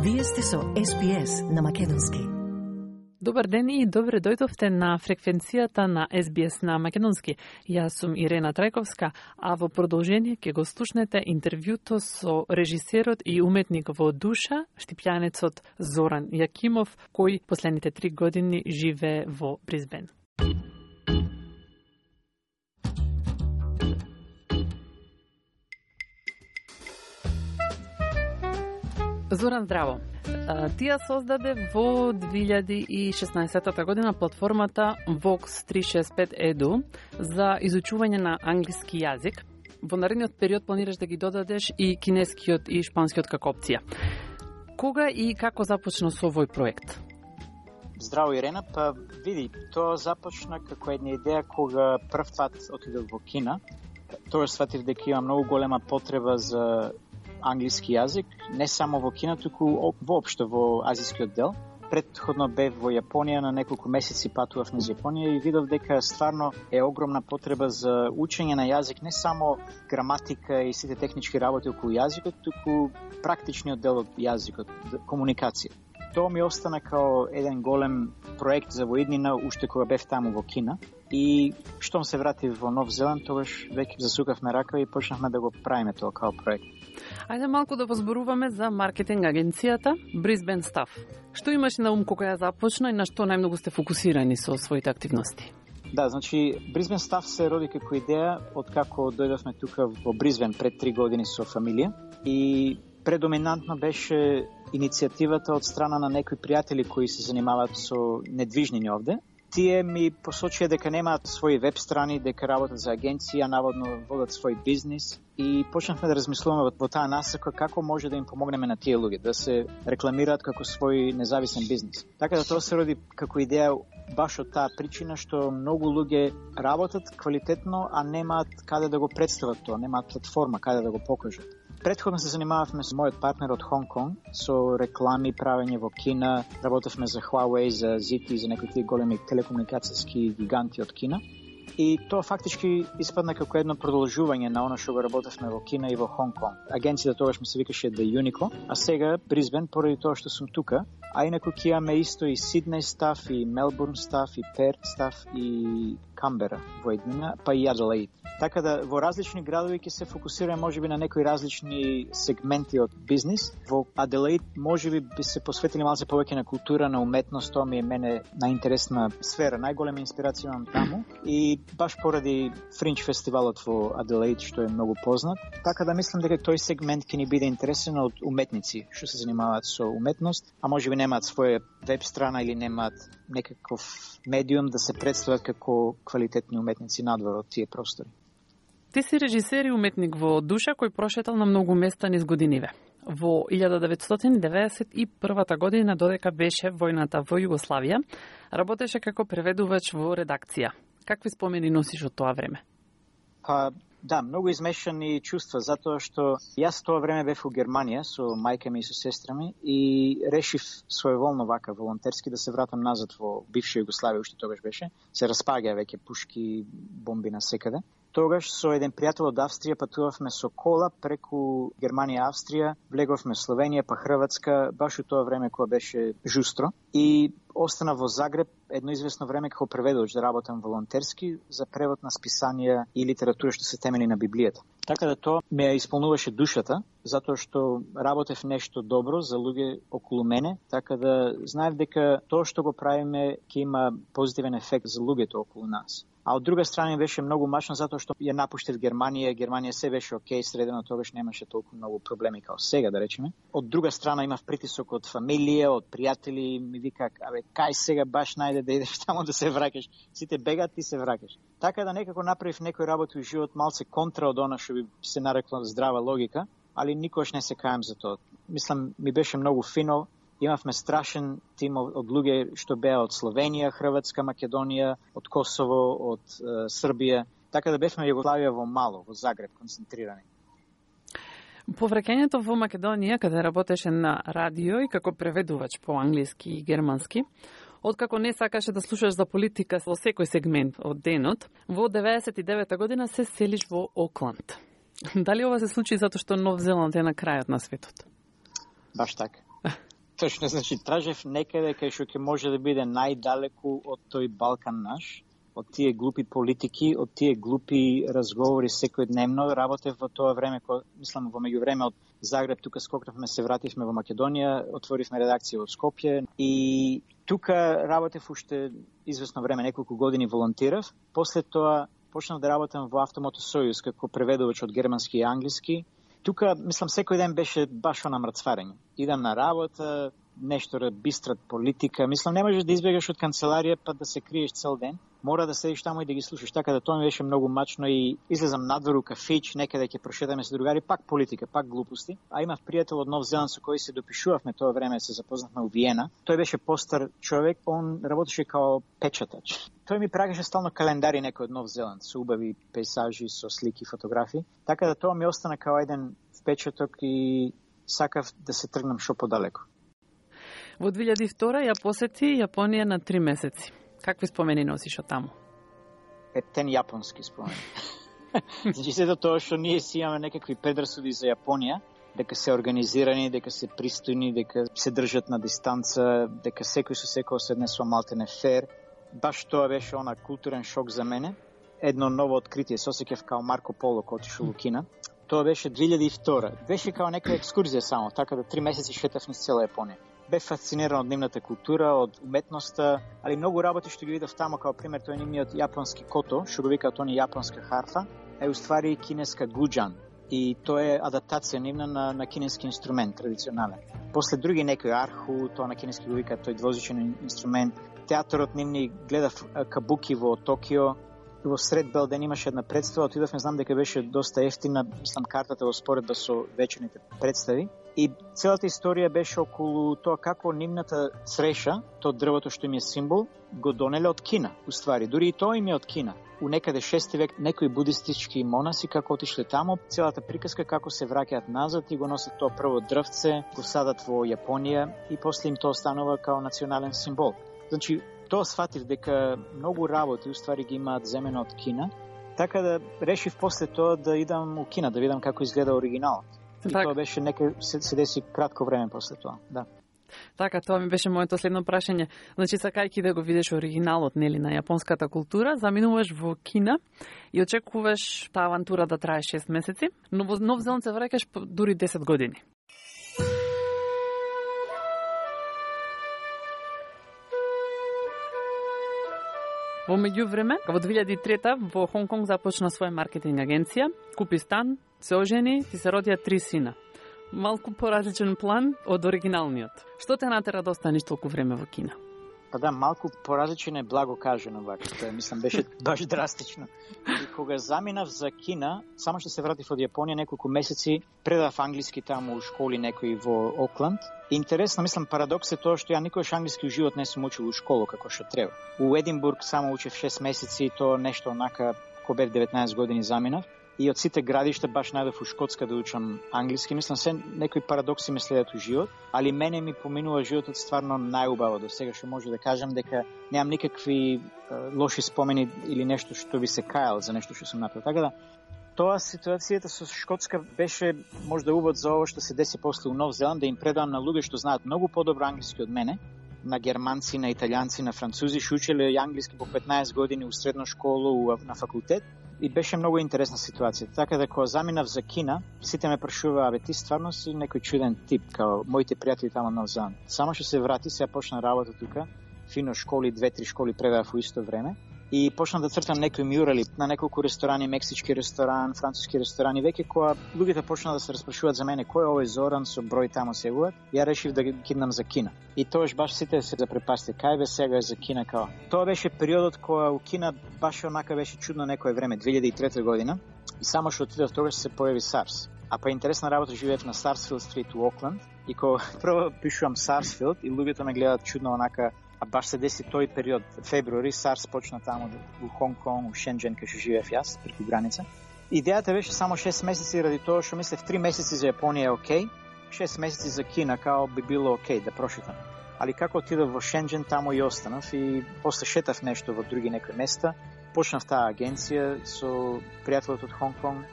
Вие сте со СПС на Македонски. Добар ден и добре дојдовте на фреквенцијата на СБС на Македонски. Јас сум Ирена Трајковска, а во продолжение ќе го слушнете интервјуто со режисерот и уметник во душа, штипјанецот Зоран Јакимов, кој последните 3 години живее во Бризбен. Зоран, здраво. Ти ја создаде во 2016 година платформата Vox 365 Edu за изучување на англиски јазик. Во наредниот период планираш да ги додадеш и кинескиот и шпанскиот како опција. Кога и како започна со овој проект? Здраво, Ирена. Па види, тоа започна како една идеја кога прв пат отидов во Кина. Тоа сватив дека има многу голема потреба за англиски јазик, не само во Кина, туку воопшто во азискиот дел. Претходно бев во Јапонија, на неколку месеци патував низ Јапонија и видов дека стварно е огромна потреба за учење на јазик, не само граматика и сите технички работи околу јазикот, туку практичниот дел од јазикот, комуникација. Тоа ми остана као еден голем проект за воиднина, уште кога бев таму во Кина. И штом се вратив во Нов Зеланд, тогаш веќе засукавме рака и почнавме да го правиме тоа као проект. Ајде малку да позборуваме за маркетинг агенцијата Brisbane Staff. Што имаш на ум кога ја започна и на што најмногу сте фокусирани со своите активности? Да, значи Brisbane Staff се роди како идеја од како дојдовме тука во Бризбен пред 3 години со фамилија и предоминантно беше иницијативата од страна на некои пријатели кои се занимаваат со недвижнини овде. Тие ми посочија дека немаат своји веб страни, дека работат за агенција, наводно водат свој бизнис и почнавме да размислуваме во таа насока како може да им помогнеме на тие луѓе да се рекламираат како свој независен бизнис. Така да тоа се роди како идеја баш од таа причина што многу луѓе работат квалитетно, а немаат каде да го представат тоа, немаат платформа каде да го покажат. Предходно се занимававме со мојот партнер од Хонг Конг, со реклами, правење во Кина, работевме за Huawei, за ZTE, за некои големи телекомуникацијски гиганти од Кина. И тоа фактички испадна како едно продолжување на она што го работевме во Кина и во Хонг Конг. Агенцијата тогаш ми се викаше The Unico, а сега Бризбен, поради тоа што сум тука, а инаку ќе имаме исто и Сиднеј стаф, и Мелбурн стаф, и Перт стаф, и Камбера во еднина, па и Аделаид. Така да во различни градови ќе се фокусираме можеби на некои различни сегменти од бизнис. Во Аделаид можеби би се посветили малце повеќе на култура, на уметност, тоа ми е мене најинтересна сфера, најголема инспирација имам таму и баш поради Фринч фестивалот во Аделаид што е многу познат. Така да мислам дека тој сегмент ќе ни биде интересен од уметници што се занимаваат со уметност, а можеби немаат своја веб страна или немаат некаков медиум да се представат како квалитетни уметници надвор од тие простори. Ти си режисер и уметник во душа кој прошетал на многу места низ годиниве. Во 1991 година, додека беше војната во Југославија, работеше како преведувач во редакција. Какви спомени носиш од тоа време? Па, да, многу измешани чувства, затоа што јас тоа време бев во Германија со мајка ми и со сестра ми и решив своеволно вака волонтерски да се вратам назад во бивша Југославија, уште тогаш беше. Се распаѓа веќе пушки, бомби на секаде. Тогаш со еден пријател од Австрија патувавме со кола преку Германија, Австрија, влеговме Словенија, па Хрватска, баш у тоа време кога беше жустро. И остана во Загреб едно известно време како преведувач да работам волонтерски за превод на списанија и литература што се темели на Библијата. Така да тоа ме исполнуваше душата, затоа што работев нешто добро за луѓе околу мене, така да знаев дека тоа што го правиме ќе има позитивен ефект за луѓето околу нас. А од друга страна беше многу мачно затоа што ја напуштив Германија, Германија се беше окей, средено тогаш немаше толку многу проблеми како сега, да речеме. Од друга страна имав притисок од фамилија, од пријатели, ми вика, абе, кај сега баш најде да идеш таму да се враќаш. Сите бегат, ти се враќаш. Така да некако направив некои работи во живот малце контра од она што би се нарекло здрава логика, али никош не се кајам за тоа. Мислам, ми беше многу фино. Имавме страшен тим од луѓе што беа од Словенија, Хрватска, Македонија, од Косово, од Србија. Така да бевме Југославија во мало, во Загреб, концентрирани. По враќањето во Македонија, каде работеше на радио и како преведувач по англиски и германски, откако не сакаше да слушаш за политика во секој сегмент од денот, во 99 година се селиш во Окланд. Дали ова се случи затоа што Нов Зеланд е на крајот на светот? Баш така. Точно, значи, тражев некаде кај што ќе може да биде најдалеку од тој Балкан наш, од тие глупи политики, од тие глупи разговори секојдневно. Работев во тоа време, мислам во меѓувреме од Загреб, тука скокнавме, се вративме во Македонија, отворивме редакција во Скопје и тука работев уште известно време, неколку години волонтирав. После тоа почнав да работам во Автомото Сојуз како преведувач од германски и англиски. Тука, мислам, секој ден беше баш она мрцварење. Идам на работа, нешто бистрат политика. Мислам, не можеш да избегаш од канцеларија па да се криеш цел ден. Мора да седиш таму и да ги слушаш. Така да тоа ми беше многу мачно и излезам надвор у кафич, некаде ќе прошетаме се другари, пак политика, пак глупости. А имав пријател од Нов Зеланд со кој се допишувавме тоа време, се запознавме у Виена. Тој беше постар човек, он работеше као печатач. Тој ми прагаше стално календари некој од Нов Зеланд со убави пейзажи, со слики, фотографии. Така да тоа ми остана као еден впечаток и сакав да се тргнам шо подалеку. Во 2002 ја посети Јапонија на 3 месеци. Какви спомени носиш од таму? Тен јапонски спомени. Значи, сето тоа што ние си имаме некакви предрасуди за Јапонија, дека се организирани, дека се пристојни, дека се држат на дистанца, дека секој со секој се однесува малтене фер. Баш тоа беше она културен шок за мене. Едно ново откритие, се осеќав као Марко Поло кој отишол у Кина. Тоа беше 2002. Беше као нека екскурзија само, така да 3 месеци шетав низ цела Јапонија. Бе фасциниран од нивната култура, од уметноста, али многу работи што ги видов таму, као пример тој нивниот јапонски кото, што го викаат они јапонска харфа, е уствари кинеска гуџан. И тоа е адаптација нивна на кинески инструмент, традиционален. После други некои арху, тоа на кинески го викаат тој двозичен инструмент. Театарот нивни гледав кабуки во Токио. Во сред бел ден имаше една представа, отидовме, знам дека беше доста ефтина, мислам картата во споредба со вечерните представи. И целата историја беше околу тоа како нивната среша, тоа дрвото што им е символ, го донеле од Кина, уствари. Дури и тоа им е од Кина. У некаде 6 век некои будистички монаси како отишле таму, целата приказка како се враќаат назад и го носат тоа прво дрвце, го садат во Јапонија и после им тоа станува као национален символ. Значи, тоа сватив дека многу работи уствари ги имаат земено од Кина, така да решив после тоа да идам у Кина, да видам како изгледа оригиналот. И тоа беше се деси кратко време после тоа, да. Така, тоа ми беше моето следно прашање. Значи, сакајќи да го видиш оригиналот, нели, на јапонската култура, заминуваш во Кина и очекуваш таа авантура да трае 6 месеци, но во Нов Зеланд се враќаш дури 10 години. Во меѓувреме, во 2003 во Хонг Конг започна своја маркетинг агенција, купи стан, се ожени и се родија 3 сина. Малку поразличен план од оригиналниот. Што те натера да останеш толку време во Кина? Па да, малку поразличен е благо кажено вака, тоа мислам беше баш драстично. И кога заминав за Кина, само што се вратив од Јапонија неколку месеци, предав англиски таму у школи некои во Окланд. Интересно, мислам, парадокс е тоа што ја никогаш англиски у живот не сум учил у школа како што треба. У Единбург само учев 6 месеци, тоа нешто онака, кога бев 19 години заминав. И од сите градишта баш најдов у Шкотска да учам англиски. Мислам, се некои парадокси ме следат у живот, али мене ми поминува животот стварно најубаво до сега, што може да кажам дека немам никакви лоши спомени или нешто што би се кајал за нешто што сум направил. Така да, тоа ситуацијата со Шкотска беше можда увод за ово што се деси после у Нов Зеланд, да им предавам на луѓе што знаат многу подобро англиски од мене, на германци, на италијанци, на французи, што учеле англиски по 15 години у средна школа, на факултет. И беше многу интересна ситуација. Така да кога заминав за Кина, сите ме прашуваа, абе ти стварно си некој чуден тип, као моите пријатели таму на Зеланд. Само што се врати, сега почна работа тука, фино школи, 2-3 школи предавав во исто време. И почнав да цртам некои мюрали на неколку ресторани, мексички ресторан, француски ресторани, веќе кога луѓето почнаа да се распрашуваат за мене кој е овој Зоран со број таму сегуват, ја решив да ги киднам за Кина. И тоаш баш сите се запрепасти, кај бе сега за Кина као. Тоа беше периодот кога у Кина баш онака беше чудно некое време, 2003 година, и само што отидов тогаш се појави SARS. А па интересна работа, живеев на Sarsfield Street у Окланд и кога прво пишувам Sarsfield и луѓето ме гледаат чудно онака. А баш се деси тој период, февруари, SARS почна таму у Хонг Конг, у Шенџен, кај што живеев јас, преку граница. Идејата беше само 6 месеци ради тоа што мислев 3 месеци за Јапонија е окей, 6 месеци за Кина као би било окей да прошетам. Али како отидов во Шенџен, таму и останав и после шетав нешто во други некои места, почнав таа агенција со пријателот од Хонг Конг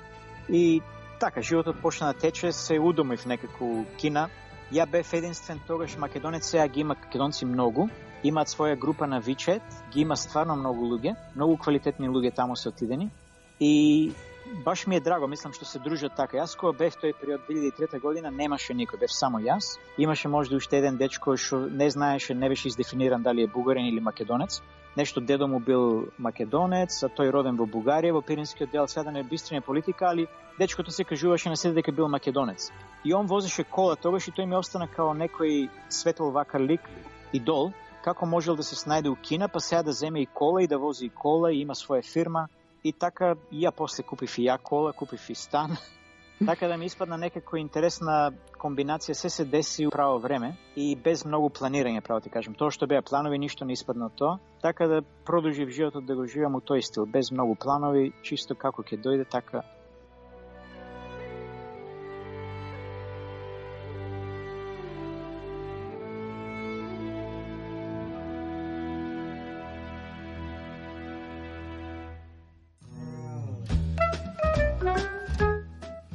и така, животот почна да тече, се удомив некако Кина. Ја бев единствен тогаш македонец, сега ги има македонци многу. Имаат своја група на WeChat, ги има стварно многу луѓе, многу квалитетни луѓе таму се отидени. И баш ми е драго, мислам, што се дружат така. Јас кога бев тој период 2003 година, немаше никој, бев само јас. Имаше можда уште еден дечко што не знаеше, не беше издефиниран дали е бугарин или македонец. Нешто дедо му бил македонец, а тој роден во Бугарија, во Пиринскиот дел, сега да не бистрине политика, али дечкото се кажуваше на себе дека бил македонец. И он возеше кола тогаш и тој ми остана као некој светол вака лик, идол, како можел да се снајде у Кина, па сега да земе и кола и да вози и кола и има своја фирма. И така и ја после купив и ја кола, купив и стан. Така да ми испадна некако интересна комбинација, се деси у право време и без многу планирање, право ти кажем. Тоа што беа планови, ништо не испадна од тоа. Така да продолжив животот да го живеам у тој стил, без многу планови, чисто како ќе дојде, така.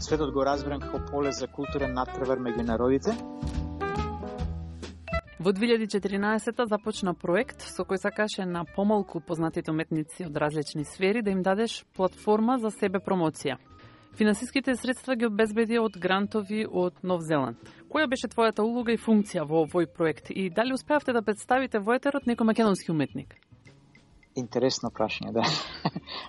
Светот го разбирам како поле за културен надпревар меѓу народите. Во 2014 започна проект со кој сакаше на помалку познатите уметници од различни сфери да им дадеш платформа за себе промоција. Финансиските средства ги обезбеди од грантови од Нов Зеланд. Која беше твојата улога и функција во овој проект и дали успеавте да представите во етерот некој македонски уметник? Интересно прашање, да.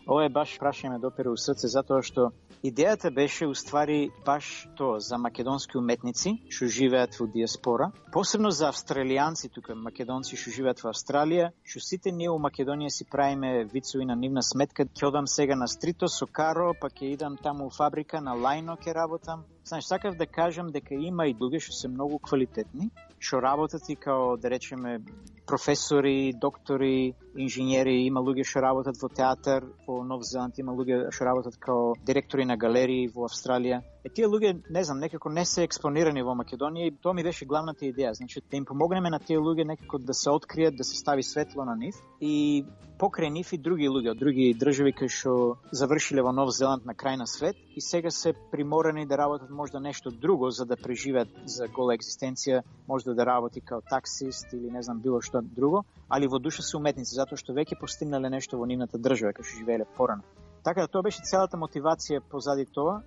Ова е баш прашање ме допира у срце, затоа што идејата беше уствари баш тоа за македонски уметници што живеат во диаспора, посебно за австралијанци тука, македонци што живеат во Австралија, што сите ние у Македонија си правиме вицови на нивна сметка, ќе одам сега на Стрито со каро, па ќе идам таму у фабрика на Лајно ќе работам. Знаеш, сакав да кажам дека има и луѓе што се многу квалитетни, што работат и као, да речеме, професори, доктори, инженери, има луѓе што работат во театар, во Нов Зеланд има луѓе што работат као директори на галерии во Австралија. Тие луѓе, не знам, некако не се експонирани во Македонија и тоа ми беше главната идеја, значи да им помогнеме на тие луѓе некако да се откријат, да се стави светло на нив и покрај нив и други луѓе од други држави кои што завршиле во Нов Зеланд на крај на свет и сега се приморани да работат можда нешто друго за да преживеат за гола екзистенција, можда да работи као таксист или не знам било што друго, али во душа се уметници затоа што веќе постигнале нешто во нивната држава кај што живееле порано. Така да тоа беше целата мотивација позади тоа.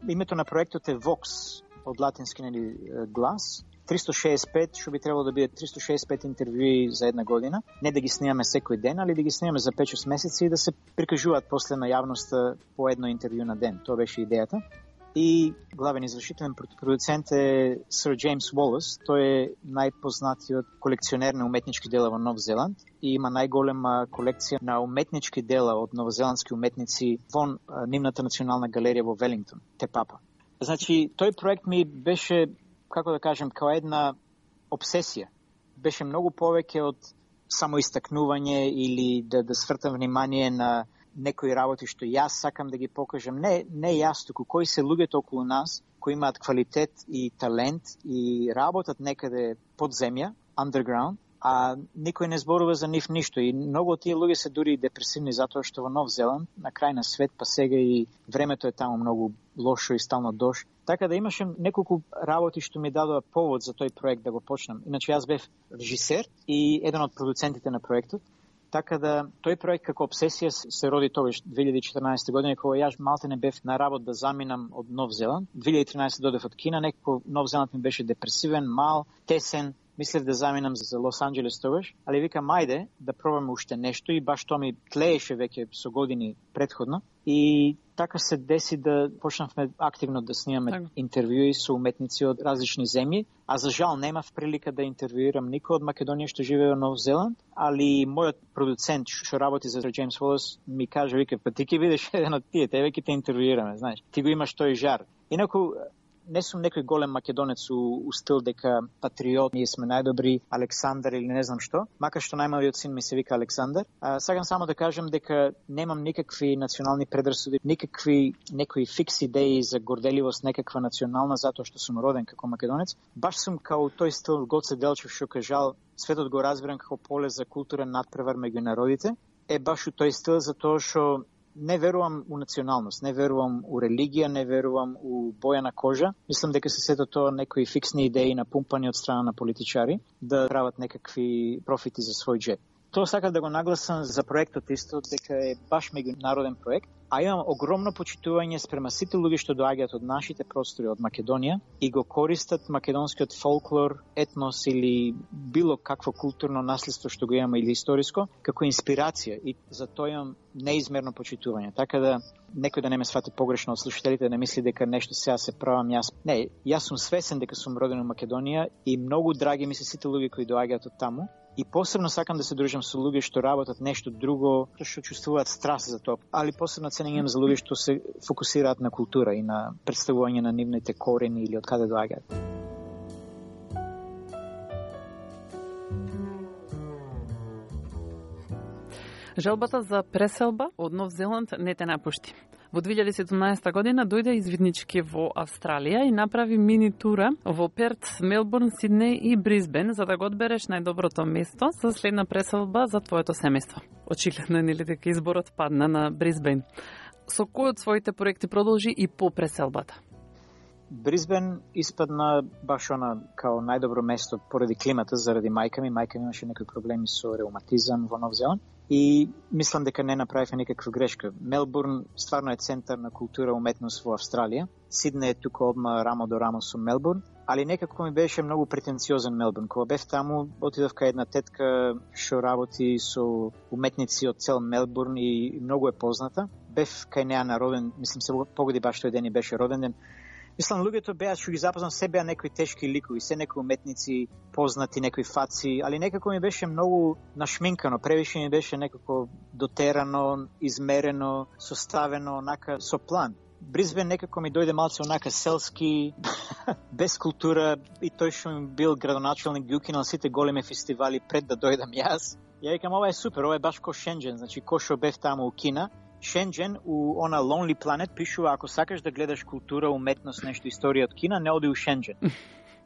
Името на проектот е Vox, од латински глас. 365, што би требало да биде 365 интервјуи за една година. Не да ги снимаме секој ден, али да ги снимаме за 5-6 месеци и да се прикажуваат после на јавноста по едно интервју на ден. Тоа беше идејата. И главен извршителен продуцент е Сър Джеймс Уолас. Тој е најпознатиот колекционер на уметнички дела во Нов Зеланд и има најголема колекција на уметнички дела од новозеландски уметници во нивната национална галерија во Велингтон, Те Папа. Значи, тој проект ми беше, како да кажем, као една обсесија. Беше многу повеќе од само истакнување или да свртам внимание на некои работи што јас сакам да ги покажам. Не јас, туку кои се луѓето околу нас, кои имаат квалитет и талент и работат некаде под земја, underground, а никој не зборува за нив ништо. И многу од тие луѓе се дури депресивни затоа што во Нов Зеланд, на крај на свет, па сега и времето е таму многу лошо и стално дожд. Така да имаше неколку работи што ми дадоа повод за тој проект да го почнам. Иначе јас бев режисер и еден од продуцентите на проектот. Така да тој проект како обсесија се роди тогаш 2014 година, кога јас малте не бев на работа да заминам од Нов Зеланд. 2013 додев од Кина, некако Нов Зеланд ми беше депресивен, мал, тесен. Мислев да заминам за Лос Анџелес тогаш, али викам ајде да пробаме уште нешто и баш тоа ми тлееше веќе со години претходно. И така се деси да почнавме активно да снимаме интервјуи со уметници од различни земји, а за жал немав прилика да интервјуирам никој од Македонија што живее во Нов Зеланд, али мојот продуцент што работи за Джеймс Уолас ми каже, вика, па ти ќе бидеш еден од тие, тебе ќе те интервјуираме, знаеш. Ти го имаш тој жар. Инаку не сум некој голем македонец у стил дека патриот, ние сме најдобри, Александар или не знам што, макар што најмалиот син ми се вика Александар. Сакам само да кажам дека немам никакви национални предрасуди, некои фикс идеи за горделивост некаква национална затоа што сум роден како македонец. Баш сум као тој стил Гоце Делчев што кажал, светот го разбирам како поле за културен надпревар меѓу народите. Е баш у тој стил затоа што не верувам у националност, не верувам у религија, не верувам у боја на кожа. Мислам дека се сето тоа некои фиксни идеи напумпани од страна на политичари да прават некакви профити за свој джеб. Тоа сакам да го нагласам за проектот исто, дека е баш меѓународен проект, а имам огромно почитување спрема сите луѓе што доаѓаат од нашите простори, од Македонија, и го користат македонскиот фолклор, етнос или било какво културно наследство што го имаме или историско, како инспирација, и за тоа имам неизмерно почитување. Така да некој да не ме свати погрешно од слушателите, да не мисли дека нешто сега се правам јас. Не, јас сум свесен дека сум роден во Македонија и многу драги ми се сите луѓе кои доаѓаат од таму. И посебно сакам да се дружам со луѓе што работат нешто друго, што чувствуваат страст за тоа, али посебно ценење за луѓе што се фокусираат на култура и на представување на нивните корени или од каде доаѓаат. Желбата за преселба од Нов Зеланд не те напушти. Во 2017 година дојде извиднички во Австралија и направи мини тура во Перт, Мелбурн, Сиднеј и Брисбен за да го одбереш најдоброто место за следна преселба за твоето семејство. Очигледно е нели дека изборот падна на Брисбен. Со кој од своите проекти продолжи и по преселбата? Брисбен испадна баш она као најдобро место поради климата, заради мајка ми. Мајка ми имаше некои проблеми со реуматизам во Нов Зеланд и мислам дека не направивме никаква грешка. Мелбурн стварно е центар на култура и уметност во Австралија. Сиднеј е тука одма рамо до рамо со Мелбурн, али некако ми беше многу претенциозен Мелбурн. Кога бев таму, отидов кај една тетка што работи со уметници од цел Мелбурн и многу е позната. Бев кај неа на роден, мислам се погоди баш тој ден и беше роден ден. Мислам, луѓето беа, што ги запознам, се беа некои тешки ликови, се некои уметници, познати, некои фаци, али некако ми беше многу нашминкано, превише ми беше некако дотерано, измерено, составено, онака, со план. Брисбен некако ми дојде малце онака селски, без култура, и тој што ми бил градоначалник, ги укинал сите големи фестивали пред да дојдам јас. Ја викам, ова е супер, ова е баш ко Шенџен, значи ко што бев таму у Кина. Шенџен у она Lonely Planet пишува, ако сакаш да гледаш култура, уметност, нешто историја од Кина, не оди у Шенџен.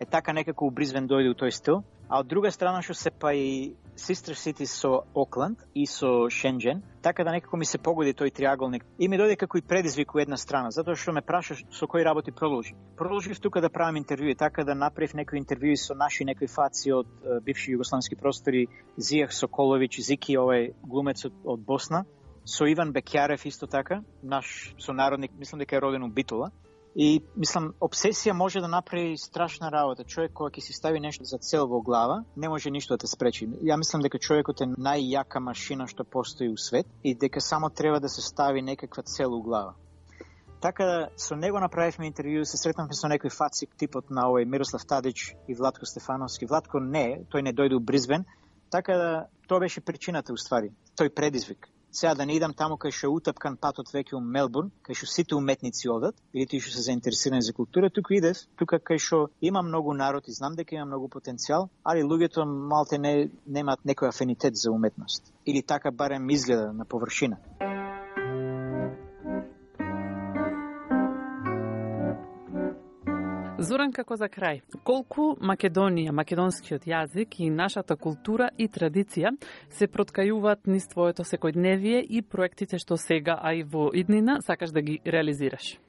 Е така некако у Брисбен дојде у тој стил. А од друга страна што се па и Sister City со Окланд и со Шенџен, така да некако ми се погоди тој триаголник. И ми дојде како и предизвик у една страна, затоа што ме прашаш со кои работи продолжи. Продолжив тука да правам интервјуи, така да направив некои интервјуи со наши некои фаци од бивши југославски простори, Зијах Соколовиќ, Зики, овој глумецот од Босна, со Иван Бекјарев исто така, наш сонародник, мислам дека е роден у Битола. И мислам, обсесија може да направи страшна работа. Човек кога ќе си стави нешто за цел во глава, не може ништо да те спречи. Ја мислам дека човекот е најјака машина што постои у свет и дека само треба да се стави некаква цел у глава. Така со него направивме интервју, се сретнавме со некој фацик типот на овој Мирослав Тадич и Владко Стефановски. Владко тој не дојде у Брисбен, така да тоа беше причината уствари, тој предизвик. Сега да не идам таму кај што утапкан патот веќе у Мелбурн, кај што сите уметници одат, или тие што се заинтересирани за култура, тука идев, тука кај што има многу народ и знам дека има многу потенцијал, али луѓето малте немаат некој афинитет за уметност. Или така барем изгледа на површина. Зоран, како за крај, колку Македонија, македонскиот јазик и нашата култура и традиција се проткајуваат низ твоето секојдневие и проектите што сега, а и во иднина, сакаш да ги реализираш?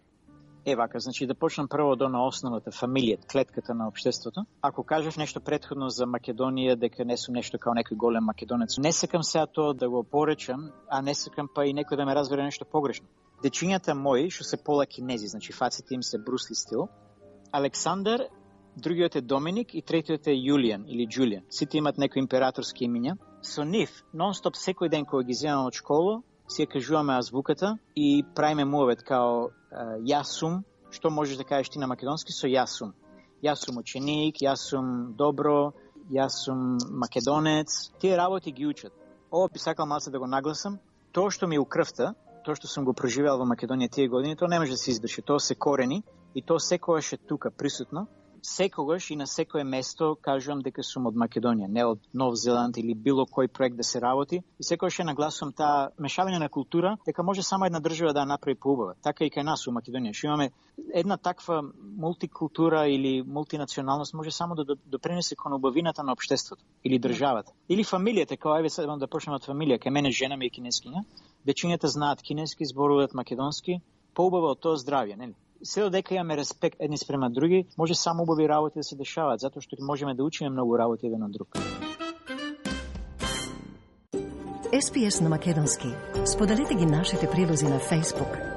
Вака, значи да почнам прво до на основата, фамилијата, клетката на општеството. Ако кажеш нешто претходно за Македонија, дека не сум нешто као некој голем македонец, не сакам сега тоа да го поречам, а не сакам па и некој да ме разбере нешто погрешно. Дечињата мои, што се пола кинези, значи фаците им се Брусли стил, Александар, другиот е Доминик и третиот е Јулијан или Џулијан. Сите имат некои императорски имиња. Со нив, нон-стоп секој ден кога ги земам од школа, си ја кажуваме азвуката и правиме муавет као јас сум, што можеш да кажеш ти на македонски со јас сум. Јас сум ученик, јас сум добро, јас сум македонец. Тие работи ги учат. Ова би сакал малце да го нагласам. Тоа што ми е у крвта, тоа што сум го преживеал во Македонија тие години, тоа не може да се избрише. Тоа се корени и тоа секогаш е тука присутно. секогаш и на секое место кажувам дека сум од Македонија, не од Нов Зеланд или било кој проект да се работи. И секогаш нагласувам таа мешавање на култура, дека може само една држава да ја направи поубава. Така и кај нас у Македонија. Што имаме една таква мултикултура или мултинационалност може само да допринесе кон убавината на општеството или државата. Или фамилијата, као еве сега да почнеме од фамилија, кај мене жена ми е кинескиња, дечињата знаат кинески, зборуваат македонски, поубава од тоа здравје, нели? Се додека имаме респект едни спрема други, може само убави работи да се дешаваат, затоа што можеме да учиме многу работи еден од друг. SPS на македонски. Споделете ги нашите прилози на Facebook,